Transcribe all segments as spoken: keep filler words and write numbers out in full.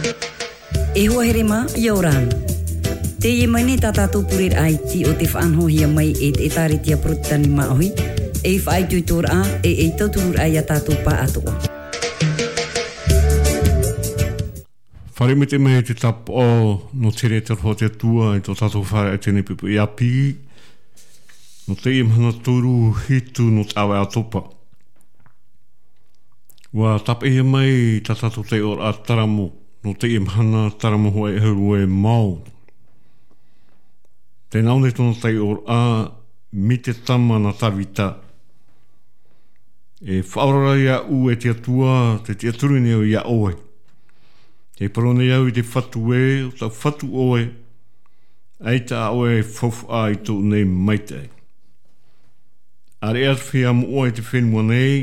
E hoa here mā, ʻia ora na. Teie mai nei tā tātou pureraʻa iti o te faʻanahohia mai e te ʻĒtārētia Porotetani Māʻohi, ei faʻaitoitoraʻa, e ei tautururaʻa ia tātou pāʻatoʻa. Fare mai te mea te tāpaʻo nō te here e te aroha o te Atua i tō tātou fāreʻa i teie nei poʻipoʻi ʻāpī, nō teie mahana toru hitu nō te ʻāvaʻe ʻātopa. ʻUa tāpeʻahia mai tā tātou taiʻoraʻa taramo nō teie mahana, taramo hōʻē ʻahuru e mā ono. Tē nā ʻō nei tōna taiʻoraʻa, mai te tama nā Tāvita. E faʻaora ra iāʻu e te Atua, tē tiʻaturi nei au iā ʻoe. Tē parau nei au i te Fatu ē, ʻo tau Fatu ʻoe, ʻaita ā ʻoe e faufaʻa i tōʻu nei maitaʻi. ʻAreʻa te feiā moʻa i te fenua nei,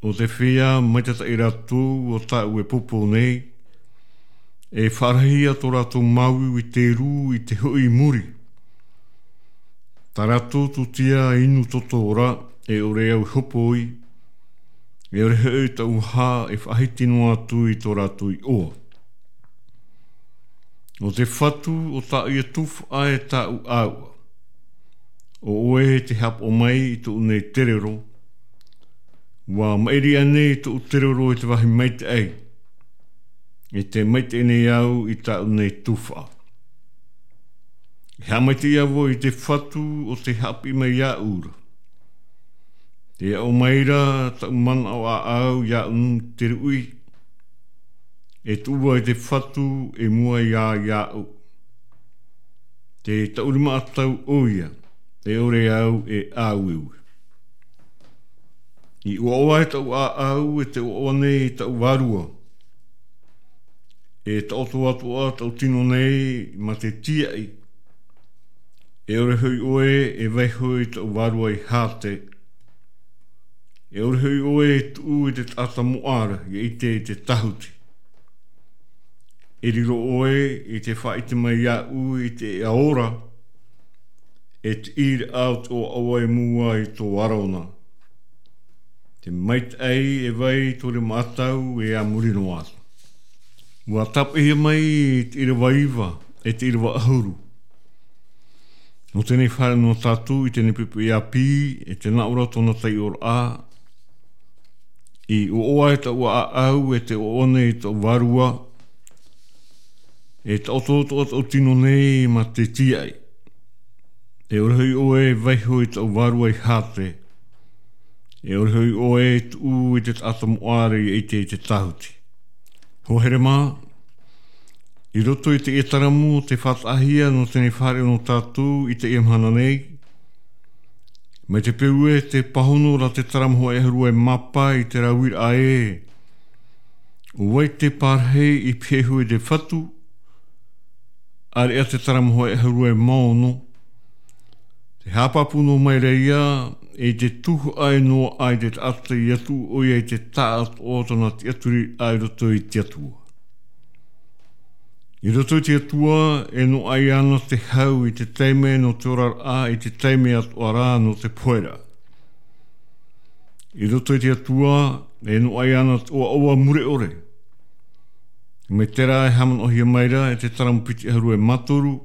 ʻo te feiā maitataʻi rātou o tāʻu e pōpō nei, e faʻarahi ïa tō rātou māuiui i te rū i te hoʻi i muri. Tā rātou tūtia inu toto ra, e ʻore au e hopoi, e ʻore hoʻi tau hā e faʻahiti noa atu i tō rātou iʻoa. ʻO te Fatu, ʻo tāʻu ïa tufaʻa e tāʻu ʻāuʻa. ʻO ʻoe tē haʻapaʻo mai i tōʻu nei terero, ʻua maʻiri aʻe nei tōʻu terero i te vāhi maitaʻi, e tē maitaʻi nei au i tāʻu nei tufaʻa. E haʻamaitaʻi ā vau i te Fatu ʻo tē haʻapiʻi mai iāʻu ra. Tē aʻo mai ra taʻu manaʻo ʻāʻau iāʻu i te ruʻi, e tuʻu vau i te Fatu i mua iā, iāʻu. Tē taʻurimaʻa tātou ʻoia, e ʻore au e ʻāueue. I ʻoaʻoa ai taʻu ʻāʻau, e tē ʻoaʻoa nei i taʻu vārua. E taʻoto atoʻa taʻu tino nei mā te tīaʻi. E ʻore hoʻi ʻoe e vaiho i taʻu vārua i Hāte. E ʻore hoʻi ʻoe e tuʻu i te taʻata moʻa ra, ʻia ʻite i te tāhuti. E riro ʻoe i te faʻaʻite mai iāʻu i te ʻēʻa ora, e te ʻīraʻa o te ʻoaʻoa i mua i tō Arona. Te maitaʻi e vai i tō Rema ʻĀtau e a muri noa atu. ʻUa tāpeʻahia mai te ʻīrava iva, e te ʻīrava ʻahuru. Nō teie nei fāreʻa nō tātou i teie nei poʻipoʻi ʻāpī, e tē nā ʻō ra tōna taiʻoraʻa, i ʻoaʻoa ai taʻu ʻāʻau, e tē ʻoaʻoa nei i taʻu vārua, e taʻoto atoʻa taʻu tino nei mā te tīaʻi. E ʻore hoʻi ʻoe e vaiho i taʻu vārua i Hāte. E ʻore hoʻi ʻoe e tuʻu i te taʻata moʻa ra, ʻia ʻite i te tāhuti. Hoa here mā, i roto i teie taramo tē faʻataʻahia nō teie nei fāreʻa nō tātou i teie mahana nei. Mai te peu ē tē pāhono ra te taramo hōʻē ʻahuru e mā pae i te rāveʻa ē, ʻo vai te pārahi i pihaʻi iho i te Fatu, ʻāreʻa te taramo hōʻē ʻahuru e mā ono. Tē haʻapāpū noa mai ra ïa, e tē tuhaʻa noa ai te taʻata ʻia tuʻu ʻoia i te taʻatoʻa o tōna tiʻaturiraʻa i roto i te Atua. I roto i te Atua, e noaʻa ïa ana te hau i te taime nō te oraraʻa, i te taime atoʻa rā nō te poheraʻa. I roto i te Atua, e noaʻa ïa ana te ʻoaʻoa mure ʻore. Mai terā e haʻamanaʻohia mai ra e te taramo piti ʻahuru e mā toru,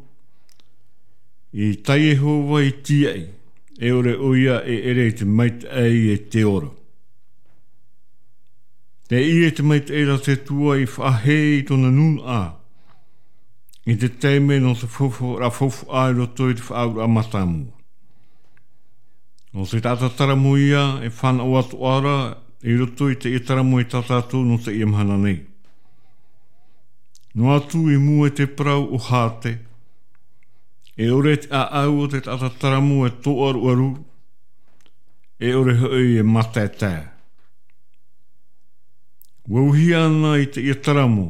i tā Iehova i tīaʻi, e ʻore ʻoia e ʻere i te maitaʻi e te ora. Teie te maitaʻi ra te Atua i faʻahē i tōna nūnaʻa, i te taime nō te faufaʻa, faufaʻa i roto i te faʻaauraʻa mātāmua. ʻO te taʻata taramo ïa e fānaʻo atoʻa ra i roto i teie taramo i tā tātou nō teie mahana nei. Noa atu i mua i te parau o Hāte, e ʻore te ʻāʻau o te taʻata taramo e tōʻaruʻaru, e ʻore hoʻi e mātaetae. ʻUa uihia ana i teie taramo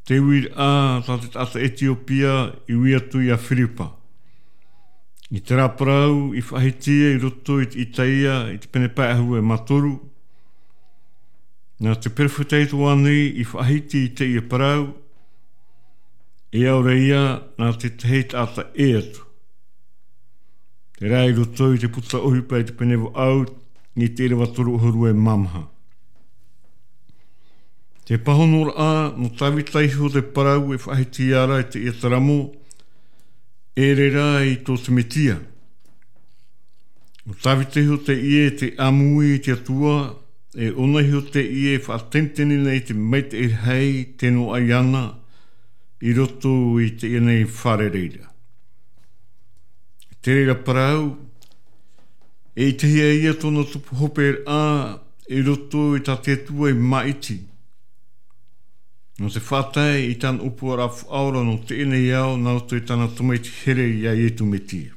te uiraʻa tā te taʻata Etiopia i ui atu iā Firipa. I terā parau i faʻahiti i roto i te Itaia i te pene pae ʻahuru e mā toru, nā te perofeta Ioane i faʻahiti i teie parau, e ʻaore ïa nā te tahi taʻata ʻē atu. Terā i roto i te puta ʻohipa i te pene vaʻu, i te ʻīrava toru ʻahuru e mā maha. Te pāhonoraʻa nō Tāvita iho te parau e faʻahiti ia ra i teie taramo, e reira i tō te Metia. Nō Tāvita iho teie te ʻāmui i te Atua, e ʻōna iho teie e faʻatenetene nei te maitaʻi rahi tē noaʻa iāna i roto i teie nei fare reira. Te reira parau, e ʻitehia ia tōna tupu hoperaʻa i roto i tā te Atua e māʻiti. Nō te faʻatae i tāna ʻōpuaraʻa faʻaora nō teie nei ao, nā roto i tāna tamaiti here iā Ietu Metia.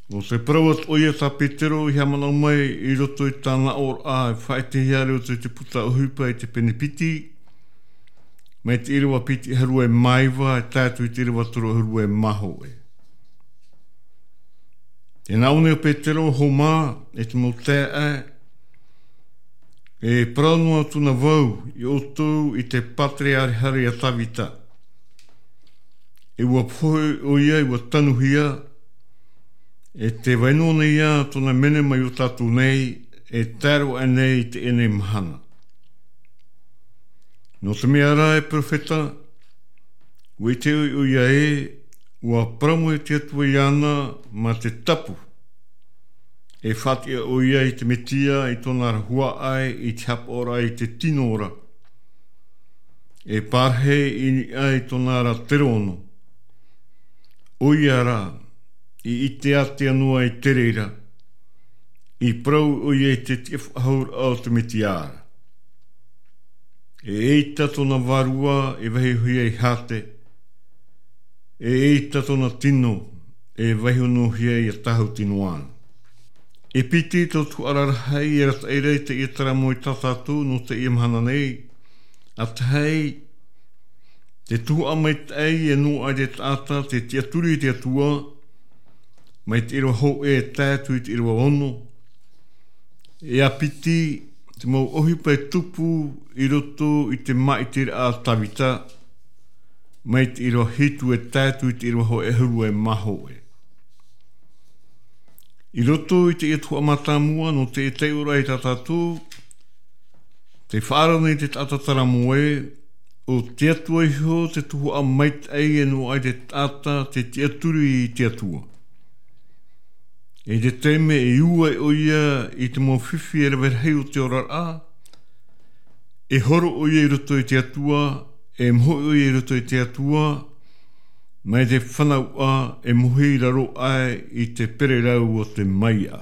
Nō te parau atoʻa ia tā Petero i haʻamanaʻo mai i roto i tāna ʻōraʻa e faʻaʻitehia ra i roto i te puta ʻohipa i te pene piti, mai te ʻīrava piti ʻahuru e mā iva, e tae atu i te ʻīrava toru ʻahuru e mā hōʻē. Tē nā ʻō nei ʻo Petero, hōmā, e te mau taeaʻe, e parau noa atu na vau ia ʻoutou i te pātereareha a Tāvita. E ʻua pohe ʻoia, e ʻua tanuhia, e tē vai noa nei ā tōna mene mai iō tātou nei, e tae roa aʻe nei i teie nei mahana. Nō te mea rā, e perofeta, ʻua ʻite ʻoia ē, ʻua parau mai te Atua iāna mā te tapu. E faʻatiʻa ʻoia i te Metia, i tōna ra huaʻai, i te hapaʻoraʻa i te tino ra. E parahi i niʻa i tōna ra terono. ʻOia rā, i ʻite ātea noa i te reira, i parau ʻoia i te tiʻafaʻahouraʻa o te Metia ra. E ʻeita tōna vārua e vaihohia i Hate, e ʻeita tōna tino e vaiho noa hia ia tāhuti noa ana. E piti tau tuhaʻa rarahi e arataʻi ra i teie taramo ia tātou nō teie mahana nei. A tahi, te tuhaʻa maitaʻi e noaʻa i te taʻata tē tiʻaturi i te Atua, mai te ʻīrava hōʻē e tae atu i te ʻīrava ono. E a piti, te mau ʻohipa e tupu i roto i te māʻitiraʻa a Tāvita, mai te ʻīrava hitu e tae atu i te ʻīrava hōʻē ʻahuru e mā hōʻē. I roto i teie tuhaʻa mātāmua nō teie taiʻoraʻa ia tātou, tē faʻaara nei te taʻata taramo ē, ʻo te Atua iho te tuhaʻa maitaʻi e noaʻa i te taʻata tē tiʻaturi i te Atua. I te taime e ua ʻoia i te mau fifi e rave rahi o te oraraʻa, e horo ʻoia i roto i te Atua, e moʻe ʻoia i roto i te Atua, mai te fanauʻa e mohe i raro aʻe i te pererau o te maiaʻa.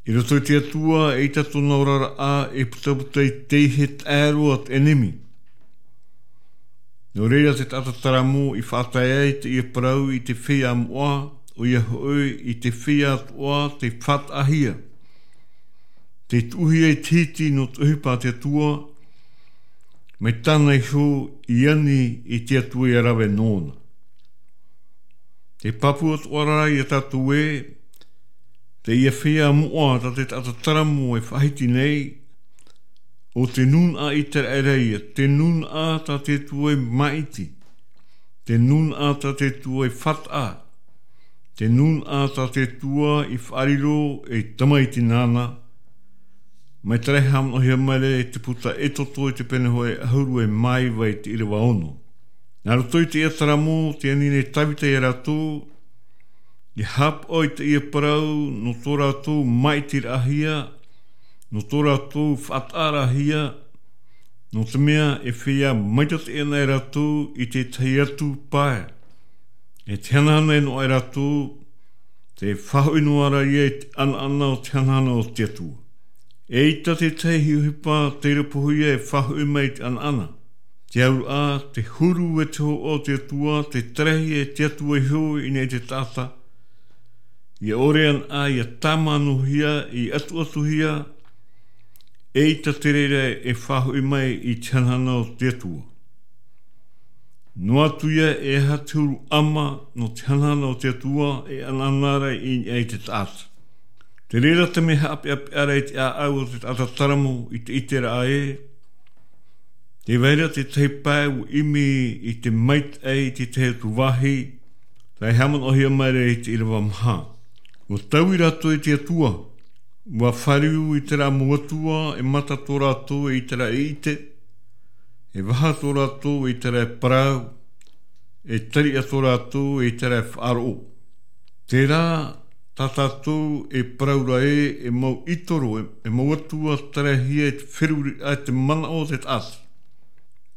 I roto i te Atua, eʻita tōna oraraʻa e putaputa i te ihe taʻero a te ʻenemi. Nō reira te taʻata taramo i faʻatae ai teie parau i te feiā moʻa, ʻoia hoʻi i te feiā atoʻa tē faʻataʻahia, tē tuʻuhia i te hiti nō te ʻohipa a te Atua, mai tāna iho i ani i te Atua ʻia rave nōna. Te pāpū atoʻa ra ia tātou ē, teie feiā moʻa tā te taʻata taramo e faʻahiti nei, ʻo te nūnaʻa ʻĪteraʻera ia, te nūnaʻa tā te Atua i māʻiti, te nūnaʻa tā te Atua i faʻataʻa, te nūnaʻa tā te Atua i faʻariro ei tamaiti nāna, mai te rahi haʻamanaʻohia mai ra i te puta Exodo i te pene hōʻē ʻahuru e mā iva i te ʻīrava ono. Nā roto i teie taramo, tē ani nei Tāvita ia rātou, ʻia haʻapaʻo i teie parau nō tō rātou māʻitiraʻahia, nō tō rātou faʻataʻaraʻahia, nō te mea e feiā maitaʻi ana e rātou i te tahi atu pae. E te hanahana e noaʻa e rātou, tē faʻahoʻi noa ra ia i te ʻanaʻana o te hanahana o te Atua. ʻEita te tahi ʻohipa tei rāpahohia e faʻahoʻi mai i te ʻanaʻana. Te auraʻa, te huru e te hōhoʻa o te Atua, te tarahi e te Atua iho i niʻa i te taʻata. ʻIa ʻore anaʻe, ʻia tāmānohia, ʻia ʻatuʻatuhia, ʻeita te reira e faʻahoʻi mai i te hanahana o te Atua. Noa atu ia e aha te huru ʻama nō te hanahana o te Atua, e ʻanaʻana ra i niʻa i te taʻata. Te reira te mea haʻapeʻapeʻa ra i te ʻāʻau o te taʻata taramo i te ʻiteraʻa ē, tē vai ra te tahi pae ʻua ʻimi i te maitaʻi i te tahi atu vāhi, tē haʻamanaʻohia mai ra i te ʻīrava maha. ʻUa taui rātou i te Atua, Ua fāriu i terā mau atua e mata tō rātou e ʻite ra e ʻite, e vaha tō rātou e ʻite ra e parau, e tariʻa tō rātou e ʻite ra e faʻaroʻo. Terā, tā tātou e parau ra ē, e mau ʻitoro, e, e mau atua tarahia e te feruriraʻa, e te manaʻo o te taʻata.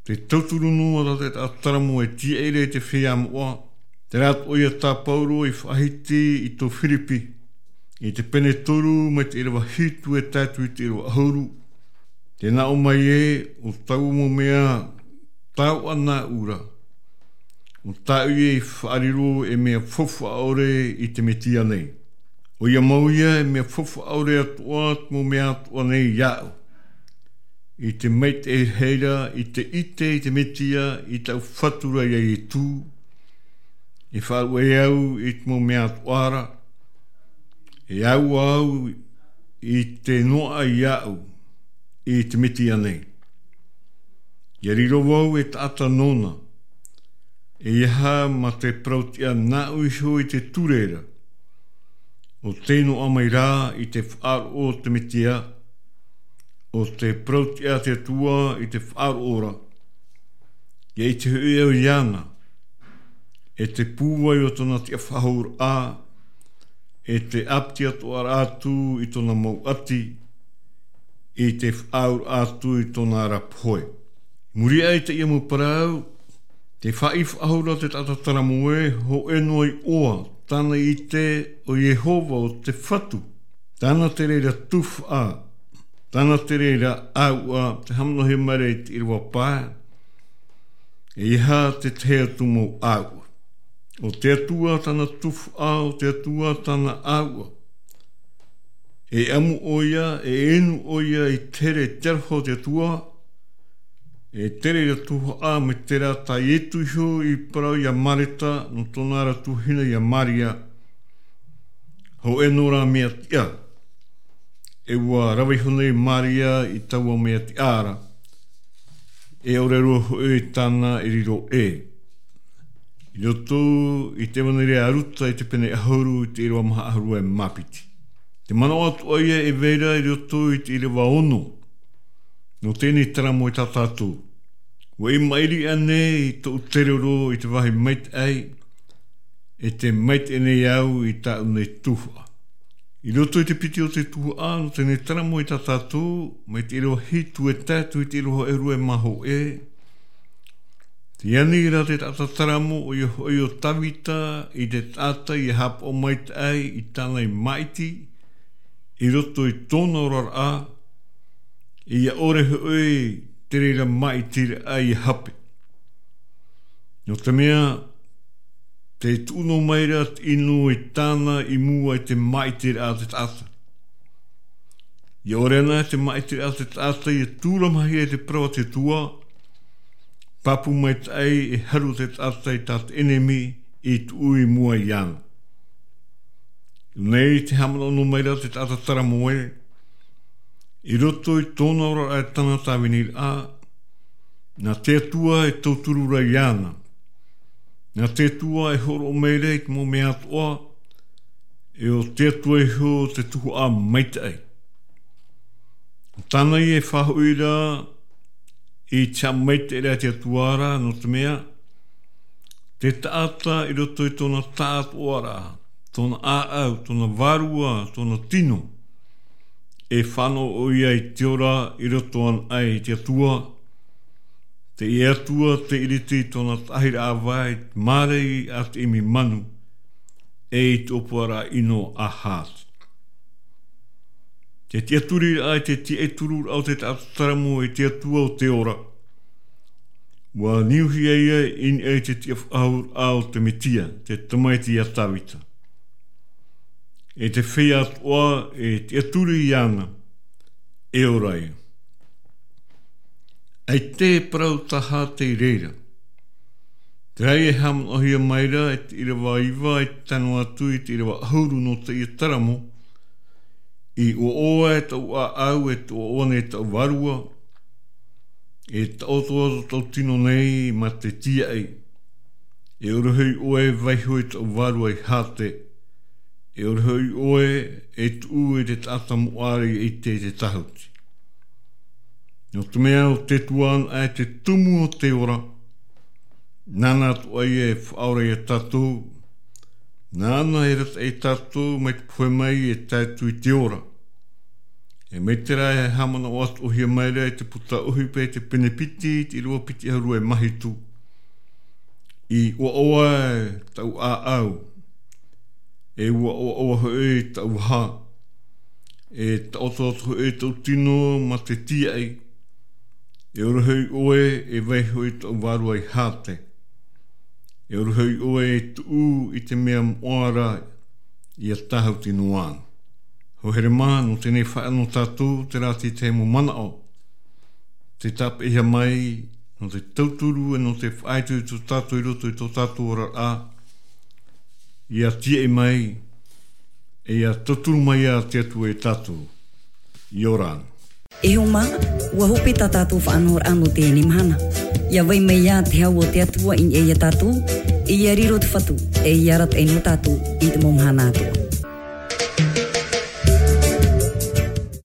Te tauturu noa ra te taʻata taramo e tiaʻi ra i te feiā moʻa. Terā atoʻa ia tā Pauro i faʻahiti i tō Firipi, i te pene toru mai te ʻīrava hitu e tae atu i te ʻīrava ʻahuru. Tē nā ʻō mai ē, ʻo taua mau mea tau ʻana ura, ʻo tāʻu ia i faʻariro e mea faufaʻa ʻore i te Metia nei. ʻOia mau ia e mea faufaʻa ʻore atoʻa te mau mea atoʻa nei iāʻu. I te maitaʻi rahi ra, i te ʻite i te Metia, i tāʻu Fatu ra ia Ietu, e faʻaruʻe au i te mau mea atoʻa ra, e aua au i te noaʻa iāʻu i te Metia nei. ʻIa riro vau e taʻata nōna, ʻeiaha ma te parau-tiʻa nāʻu iho i te ture ra, ʻo tei noaʻa mai rā i te faʻaroʻo o te Metia, ʻo te parau-tiʻa a te Atua i te faʻaroʻo ra. ʻIa ʻite hoʻi au iāna, e te pūai o tōna tiʻafaʻahouraʻa, e te ʻāpiti atoʻa ra atu i tōna mau ʻati, i te faʻaauraʻa atu i tōna ra pohe. Muri aʻe i teie mau parau, tē faʻaʻī faʻahou ra te taʻata taramo ē, hōʻē noa iʻoa tāna i ʻite ʻo Iehova, ʻo te Fatu. Tāna te reira tuhaʻa, tāna te reira ʻāuʻa, tē haʻamanaʻohia mai ra i te ʻīrava pae, ʻeiaha te tahi atu mau ʻāuʻa. ʻO te Atua tāna tuhaʻa, ʻo te Atua tāna ʻāuʻa. E ʻamu ʻoia, e inu ʻoia i te here, i te aroha o te Atua, e te reira tuhaʻa, mai terā tā Ietu iho i parau ia Mareta, nō tōna ra tuahine ia Maria, hōʻē noa ra mea tiʻa. E ʻua rave iho nei Maria i taua mea tiʻa ra, e ʻore roa hoʻi tāna e riro ē. I roto i te ʻevaneria a Ruta i te pene ʻahuru i te ʻīrava maha ʻahuru e mā piti. Te manaʻo atoʻa ia e vai ra i roto i te ʻīrava ono, nō teie taramo ia tā tātou. ʻUa i maʻiri aʻe nei i tōʻu terero i te vāhi maitaʻi, e tē maitaʻi nei au i tāʻu nei tuhaʻa. I roto i te piti o te tuhaʻa, nō teie taramo ia tā tātou, mai te ʻīrava hitu e tae atu i te ʻīrava ʻahuru e mā hōʻē, tē ani ra te taʻata taramo, ʻoia hoʻi ʻo Tavita, i te taʻata ʻia haʻapaʻo maitaʻi i tāna i māʻiti, i roto i tōna oraraʻa, ʻia ʻore hoʻi te reira māʻitiraʻa ʻia hape. Nō te mea, tē tuʻu noa mai ra te ʻino i tāna i mua i te māʻitiraʻa a te taʻata. ʻIa ʻore ana te māʻitiraʻa a te taʻata ʻia tūramahia i te parau a te Atua, pāpū maitaʻi e haru te taʻata i tā te ʻenemi i tuʻu i mua iāna. Nei tē haʻamanaʻo noa mai ra te taʻata taramo ē, i roto i tōna oraraʻa e tāna tāviniraʻa, nā te Atua e tauturu ra iāna. Nā te Atua e hōroʻa mai ra i te mau mea atoʻa, e ʻo te Atua iho te tuhaʻa maitaʻi. Tāna ia e faʻahoʻi ra i te haʻamaitaʻiraʻa a te Atua ra, nō te mea, te taʻata i roto i tōna tāʻātoʻaraʻa, tōna ʻāʻau, tōna vārua, tōna tino, e fānaʻo ʻoia i te ora i roto anaʻe i te Atua, teie Atua tē ʻiriti i tōna taʻahiraʻa vai, te māramarama a te ʻimi manu, e i te ʻōpuaraʻa ʻino a Hāti. Te tiʻaturiraʻa, te tiʻaturiraʻa o te taʻata taramo i te Atua o te ora. ʻUa niuhia ia i niʻa i te tiʻafaʻahouraʻa o te Metia, te tamaiti a Tavita. E te feiā atoʻa e tiʻaturi iāna, e ora ia. ʻAita e parau tā Hāti i reira. Terā ia e haʻamanaʻohia mai ra, e te ʻīrava iva, e tae noa atu i te ʻīrava ʻahuru nō teie taramo, i ʻoaʻoa e taʻu ʻāʻau, e ʻoaʻoa nei taʻu vārua, e taʻoto atoʻa tō tino nei mā te tiaʻi, e ʻore hoʻi ʻoe e vaiiho i taʻu vārua i Hāti, E ʻore hoʻi ʻoe e tuʻu i te taʻata moʻa ra ʻia ʻite i te tāhuti. Nō te mea ʻo te Atua anaʻe te tumu o te ora. Nāna atoʻa ia e faʻaora ia tātou. Nāna e arataʻi ia tātou mai te pohe mai e tae atu i te ora. E mai terā e haʻamanaʻo atoʻahia mai ra i te puta ʻohipa i te pene piti, te ʻīrava piti ʻahuru e maha hitu. I ʻoaʻoa taʻu ʻāʻau, e ʻoaʻoa hoʻi taʻu hā, e taʻotoʻoto hoʻi taʻu tino mā te tīaʻi, e ʻore hoʻi ʻoe e vaiiho i taʻu vārua i hāte, e ʻore hoʻi ʻoe e tuʻu i te mea moʻa ra ʻia tāhuti noa ana. Hoa here mā, nō teie nei faʻaea nō tātou terā teie mau manaʻo, te tāpeʻahia mai nō te tauturu e nō te faʻaitoito tātou i roto i tō tātou oraraʻa, ʻia tīaʻi mai, e ʻia tauturu mai ia te Atua ia tātou. ʻIa ora na. E hoa mā, ʻua hope tā tātou faʻanahoraʻa nō teie mahana. ʻIa vai mai ia te hau o te Atua i niʻa ia tātou, e ʻia riro te Fatu, e ʻia arataʻi nō tātou i te mau mahana atoʻa.